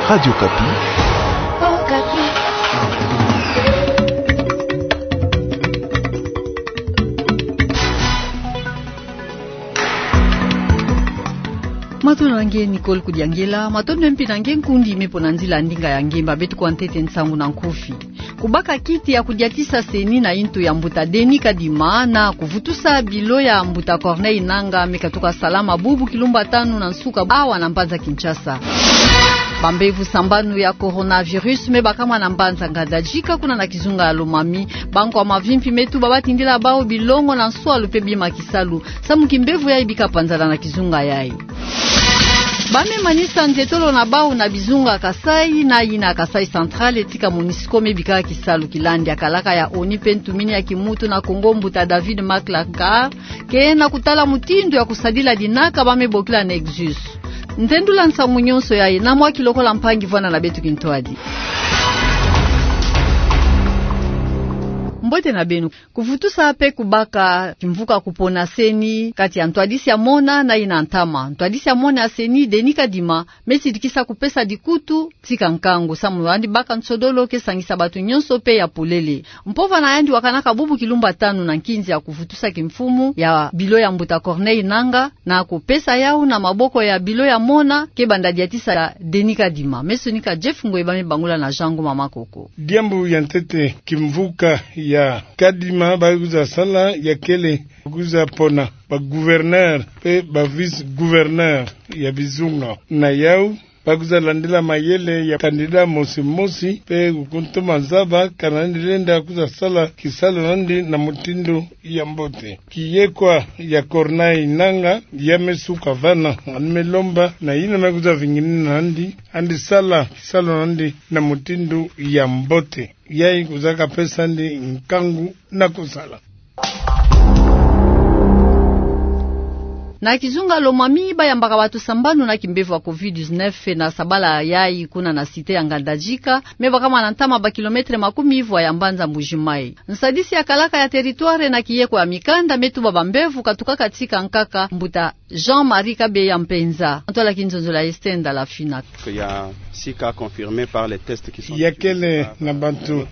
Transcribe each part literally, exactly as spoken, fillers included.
Radio Okapi. Matondo na nge Nicole Kudiangela, matondo mpe na nge nkundi me mpo na nzila ndinga ya nge mba beto kwa ntete nsangu na nkufi. Kubaka kiti ya kudiatisa CENI na intu ya mbuta Denis Kadima na kuvutusa bilo ya mbuta Corneille Nangaa me katuka salama bubu kilumbu tanu na nsuka awa na mbanza Kinshasa. Bambevo sambanu ya coronavirus me bakama na mbanza Ngandajika kuna na kizunga ya Lomami. Bankwa mavimpi me tuba batindila bawu bilongo na nswalu mpe bima kisalu samu kimbevo yayi bika panzana na kizunga yayi. Ba me manisa nzietolo na bawu na bizunga Kasaï na yina Kasaï Central, tika MONUSCO me bika kisalu. Kilandi ya kalaka ya ONU mpe ntumini ya kimuntu na Kongo mbuta David Maclancard ke na kutala mutindu ya kusadila dinaka ba me bokila nexus. Nzendula nsangu nyonso yayi na mwa kilokola mpangi vwanda na beto kintwadi. Mbote na beno. Kuvutusa mpe kubaka kimvuka kupona CENI kati ya ntwadisi ya mona na yina ntama. Ntwadisi ya mona ya CENI, Denis Kadima, me sidikisa kupesa dikutu tika nkangu samu yandi baka nsodolo ke sangisa bato nyonso mpe ya polele. Mpova na yandi wakanaka bubu kilumbu tanu na nkinzi ya kuvutusa kimfumu ya bilo ya mbuta Corneille Nangaa na kupesa yawu na maboko ya bilo ya mona ke banda diatisa ya Denis Kadima. Me sonika Jeff Ngoi ba me bangula na Jean Ngoma Makoko. Diambu ya ntete, kimvuka ya Kadima ba kwiza sala ya kele kwiza pona ba gouverneur mpe ba vice-gouverneur ya bizunga. Na yawu ba kwiza landila mayele ya candidat mosi mosi mpe kukuntuma zaba kana yandi lenda kwiza sala kisalu na yandi na mutindu ya mbote. Kiyekwa ya Corneille Nangaa ya me suka vana, yandi me lomba na yina me kwiza vinginina yandi, yandi sala kisalu na yandi na mutindu ya mbote. Yayi kwiza kapesa yandi nkangu na kusala. Na kizunga Lomami, bayambaka bato sambanu na kimbevo ya covid dix-neuf na sabala yayi kuna na cité ya Ngandajika, me bakama na ntama ba kilomètre makumi ivwa ya mbanza Mbuji-Mayi. Nsadisi ya kalaka ya territoire na kiyekwa ya mikanda me tuba bambevo katukaka tika nkaka. Mbuta Jean-Marie Kabeya Mpenza, ntwala kinzonzolo ya Esther Ndala Fina. Il y a six cas confirmés par les tests qui sont... Ya kele na bato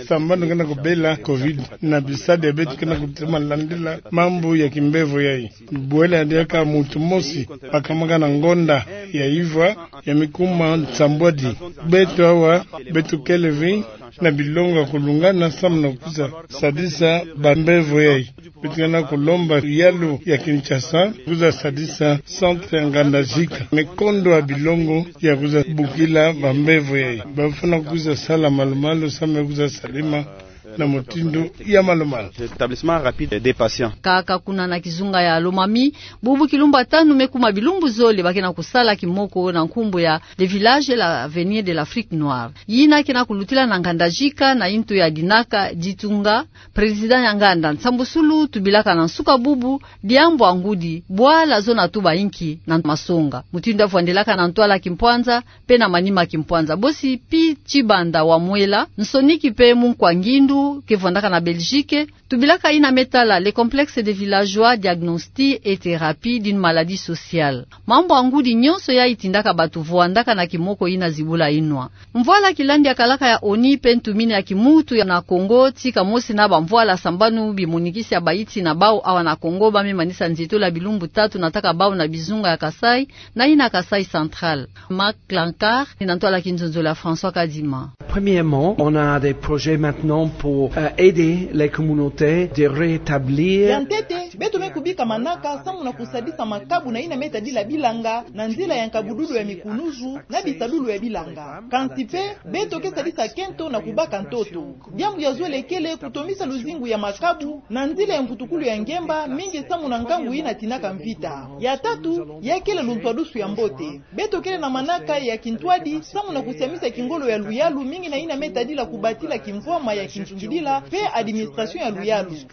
sambanu ke na kubela covid na bisadi ya beto ke na kutema landila mambu ya kimbevo yayi. Bwela diaka muntu mosi bakamaka na ngonda ya ivwa ya mikuma nsambwadi. Beto awa, beto kele ve na bilongo ya kulungana samu na kwiza sadisa bambevo yayi. Beto ke na kulomba yalu ya Kinshasa kwiza sadisa centre ya Ngandajika me kondwa bilongo ya kwiza bokila bambevo yayi. Bafwana kwiza sala malu-malu samu ya kwiza salama na mutindu ya malu-malu. Rétablissement rapide des patients. Kaka kuna na kizunga ya Lomami, bubu kilumbu tanu me kuma bilumbu zole ba ke na kusala kimoko na nkumbu ya le village de l'avenir de l'Afrique noire. Yina ke na kulutila na Ngandajika na intu ya dinaka ditunga. Président ya nganda nsambusulu tubilaka na nsuka bubu, diambu ya ngudi, bwala zo na tuba inki na masonga. Mutindu ya vwandelaka na ntwala kimpwanza mpe na manima kimpwanza. Bosi Pi Tshibanda wa Mwela, nsoniki mpe munkwa ngindu ke vwandaka na Belgique, tubilaka yina me tala le complexe des villageois diagnostic et thérapie d'une maladie sociale. Mambu ya ngudi nyonso yayi tindaka bato vwandaka na kimoko yina zibula inwa. Mvwala kilandi ya kalaka ya ONU mpe ntumini ya kimuntu ya na Congo, tika mosi na bamvwala sambanu bimonikisi ya bayiti na bawu awa na Congo, ba me manisa nzietolo ya bilumbu tatu na ntaka bawu na bizunga ya Kasaï, na yina Kasaï Central. Maclancard, ni na ntwala kinzonzolo ya François Kadima. Premièrement, on a des projets maintenant pour, euh, aider les communautés de rétablir... Ya ntete, beto me kubika manaka samu na kusadisa makabu na yina me tadila bilanga na nzila ya nkabudulu ya mikunuzu na bisadulu ya bilanga. Kansi mpe, beto ke sadisa kento na kubaka ntoto. Diambu ya zole kele kutomisa luzingu ya makabu na nzila ya nkutukulu ya ngemba, mingi samu na nkangu yina tinaka mvita. Ya tatu, ya kele luntwadusu ya mbote. Beto kele na manaka ya kintwadi samu na kusiamisa kingolo ya luyalu, mingi na yina me tadila kubatila kimvwama ya kintungidila mpe administration ya luyalu.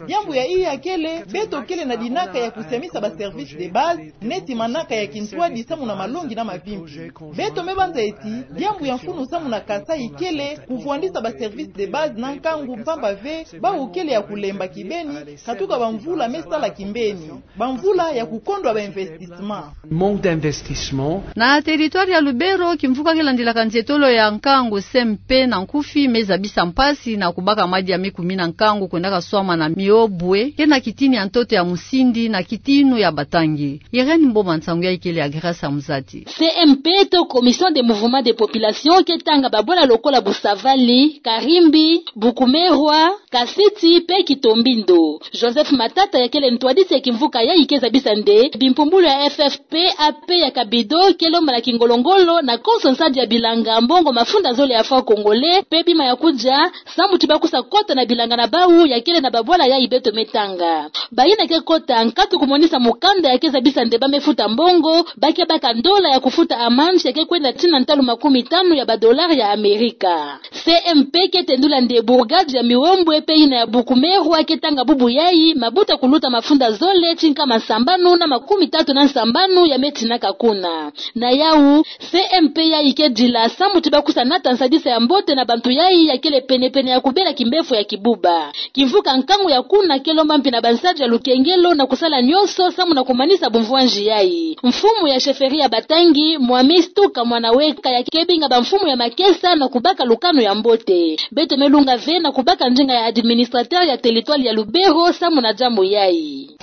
Diambu ya iya kele, beto ke Kele na dinaka ya kusiamisa ba services de base, neti manaka ya kintwadi samu na malongi na mavimpi. Beto me banza eti, diambu ya mfunu samu na Kasaï kele, kuvwandisa ba services de base na nkangu mpamba ve, bawu kele ya kulemba kibeni, katuka bamvula me sala kimbeni. Bamvula ya kukondwa ba investissements. Manque d'investissement. Na territoire ya Lubero, kimvuka ke landilaka nzietolo ya nkangu C M P na nkufi me zabisa mpasi na kubaka madia me kumina nkangu kwendaka swama na miobwe, ke na kitini ya ntoto ya musindi na kitinu ya batangi. Irène Mboma, nsangu yayi kele ya Grâce Amuzati. C M P to Commission de Mouvement de Population ke tanga babwala lokola Busavali, Karimbi, Bukumerwa, Kasiti pe Kitombindo. Joseph Matata ya kele ntwadisi ya kimvuka yayi ke zabisa nde bimpumbulu ya F F P A P ya Kabido ke lomba na kingolo-ngolo na konso nsadi ya bilanga mbongo mafunda zole ya francs congolais pe bima ya kudia, samu ti bakusa kota na bilanga na bawu ya kele na babwala yayi beto me tanga. Bayina ke kota nkatu kumonisa mukanda ya ke zabisa nde ba me futa mbongo, ba ke baka ndola ya kufuta amande ya ke kwenda tii na ntalu makumi tanu ya ba dollars ya Amerika. C M P ke tendula nde bourgade ya Miwombwe pe yina ya Bukumerwa ke tanga bubu yayi mabuta kuluta mafunda zole ti nkama sambanu na makumi tatu na sambanu ya me tinaka kuna. Na yawu, C M P yayi ke dila samu ti bakusa nata nsadisa ya mbote na bantu yayi ya kele pene-pene ya kubela kimbefo ya kibuba. Kimvuka nkangu ya kuna ke lomba mpi na bansadi ya lukengelo na kusala nionso samu na kumanisa bumvwanji yayi. Mfumu ya chefferie ya batangi, Mwami Stuka Mwanaweka, ya ke binga bamfumu ya makesa na kubaka lukanu ya mbote. Beto me lunga ve na kubaka ndinga ya administrateur ya territoire ya Lubero samu na diambu yayi.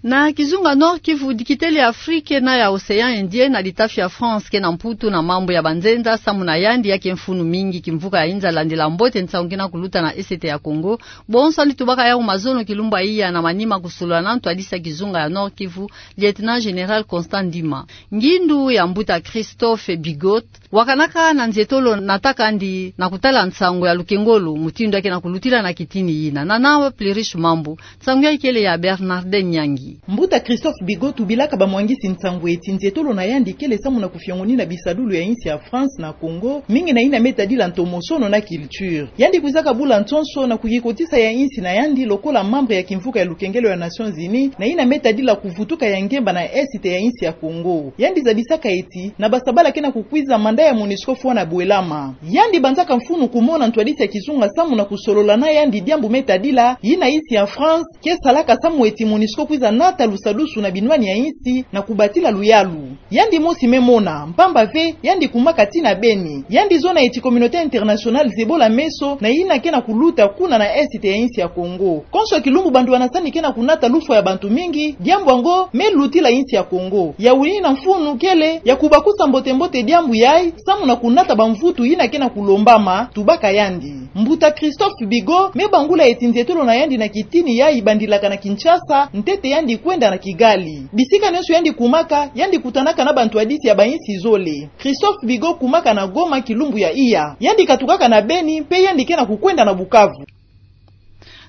Na kizunga Nord-Kivu, dikitele ya Afrique na ya Océan Indien na litafi ya France ke na Mputu na mambu ya banzenza samu na yandi ya ke mfunu mingi kimvuka ya inza landila mbote nsangu ke na kuluta na Est ya Congo. Bonso yandi tubaka yawu mazono kilumbu ya iya na manima kusolola na ntwadisi ya kizunga ya Nord-Kivu, Lieutenant-général Constant Ndima. Ngindu ya mbuta Christophe Bigot wakanaka na nzietolo nataka yandi na kutala nsangu ya lukengolo mutindu ya ke na kulutila na kitini yina. Na nawa Plurish Mambu, nsangu yayi kele ya Bernardin Nyangi. Mbuta Christophe Bigot tubilaka bamwangisi nsangu eti nzietolo na yandi kele samu na kufiongonina bisadulu ya insi ya France na Congo, mingi na yina me tadila ntomosono na culture. Yandi kwizaka bula nsonso na kuyikotisa ya insi na yandi lokola membre ya kimvuka ya lukengelo ya Nations Unies, na yina me tadila kuvutuka ya ngemba na Est ya insi ya Congo. Yandi zabisaka eti, na basabala ke na kukwiza mandat ya MONUSCO fwana bwelama. Yandi banzaka mfunu kumona ntwadisi ya kizunga samu na kusolola na yandi diambu me tadila yina insi ya France ke salaka samu eti MONUSCO kwiza nata lusadusu na binwani ya insi na kubatila luyalu. Yandi mosi me mona, mpamba ve, yandi kumaka tii na Beni. Yandi zona eti communauté internationale zebola meso na yina ke na kuluta kuna na Est ya insi ya Congo. Konso kilumbu bantu banasani ke na kunata lufwa ya bantu mingi, diambu yango me lutila insi ya Congo. Yawu yina mfunu kele ya kubakusa mbote-mbote diambu yayi, samu na kunata bamvutu yina ke na kulombama, tubaka yandi. Mbuta Christophe Bigot me bangula eti nzietolo na yandi na kitini yayi bandilaka na Kinshasa, ntete yandi kwenda na Kigali. Bisika nionso yandi kumaka, yandi kutanaka na bantwadisi ya bainsi zole. Christophe Bigot kumaka na Goma kilumbu ya iya. Yandi katukaka na Beni, pe yandi ke na kukwenda na Bukavu.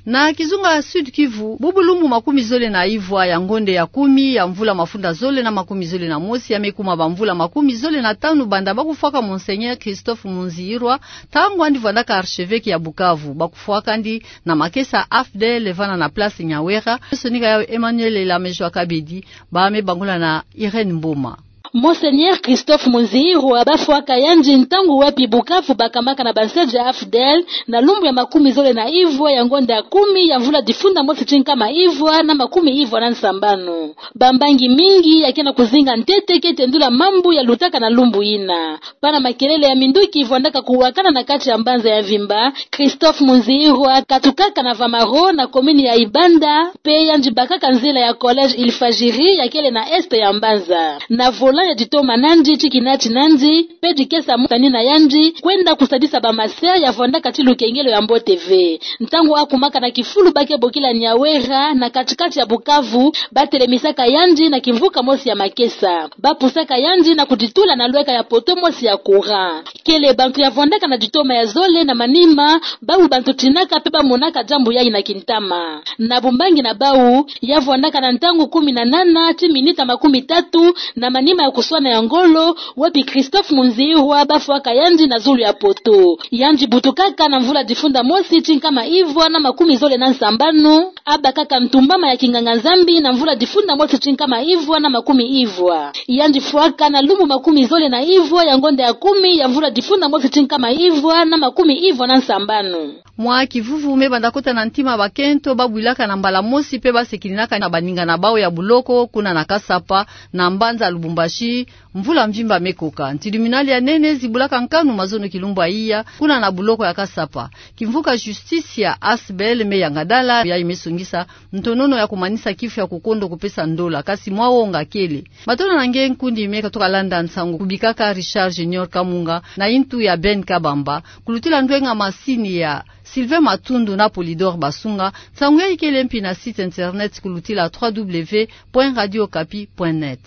Na kizunga Sud-Kivu, bubu lumbu makumi zole na ivwa ya ngonde ya kumi ya mvula mafunda zole na makumi zole na mosi, ya me kuma bamvula makumi zole na tanu banda bakufwaka Monseigneur Christophe Munziyirwa, ntangu yandi vwandaka archevêque ya Bukavu. Bakufwaka yandi na makesa AFDL vana na place Nyawera. Sonika yawu Emmanuel Elamejo Akabedi, ba me bangula na Irène Mboma. Monseigneur Christophe Munziyirwa bafwaka yandi ntangu wapi Bukavu bakamaka na bansadi ya AFDL na lumbu ya makumi zole na ivwa ya ngonde ya kumi ya mvula difunda mosi ti nkama ivwa na makumi ivwa na nsambanu. Bambangi mingi ya ke na kuzinga ntete ke tendula mambu ya lutaka na lumbu yina. Pana makelele ya minduki vwandaka kuwakana na kati ya mbanza ya mvimba, Christophe Munziyirwa katukaka na Vamaro na commune ya Ibanda, pe yandi bakaka nzila ya collège Il Fajiri ya kele na est ya mbanza. Na volant ya ditoma na yandi ti kinati na yandi, pe dikesa motani na yandi, kwenda kusadisa ba masera ya vwandaka ti lukengelo ya mbote ve. Ntangu akumaka na kifulu ba ke bokila Nyawera, na kati-kati ya Bukavu, batelemisaka yandi na kimvuka mosi ya makesa. Bapusaka yandi na kuditula na lweka ya poteau mosi ya courant. Kele bantu ya vwandaka na ditoma ya zole na manima, bawu bantu tinaka pe bamonaka diambu yayi na kintama. Na bumbangi na bawu, ya vwandaka na ntangu kumi na nana ti minita makumi tatu na manima Kuswana ya ngolo, wapi Christophe Munzihwa bafwaka yandi na zulu ya Poto. Yandi butukaka na mvula difunda mosi ti nkama ivwa na makumi zole na nsambanu, abakaka ntumbama ya kinganga-Nzambi na mvula difunda mosi ti nkama ivwa na makumi ivwa. Yandi fwaka na lumbu makumi zole na ivwa ya ngonda ya kumi ya mvula difunda mosi ti nkama ivwa na makumi ivwa na nsambanu. Mwa kivuvu me banda kota na ntima bakento babwilaka na mbala mosi pe basekininaka na baninga na bau ya buloko kuna na Kasapa, na mbanza Lubumbashi, mvula mvimba me koka. Ntiluminali ya nene zibulaka nkanu mazono kilumbu ya iya kuna na buloko ya Kasapa. Kimvuka justice ya Asbel me yangadala, yayi me songisa ntonono ya kumanisa kifu ya kukondo kupesa ndola, kasi mwa wonga kele. Matondo na nge nkundi me katoka landa nsangu kubikaka Richard Junior Kamunga na intu ya Ben Kabamba, kulutila ndwenga masini ya Sylvain Matundu na Polydor Basunga. Nsangu yayi kele mpi na site internet kulutila trois W point radio okapi point net.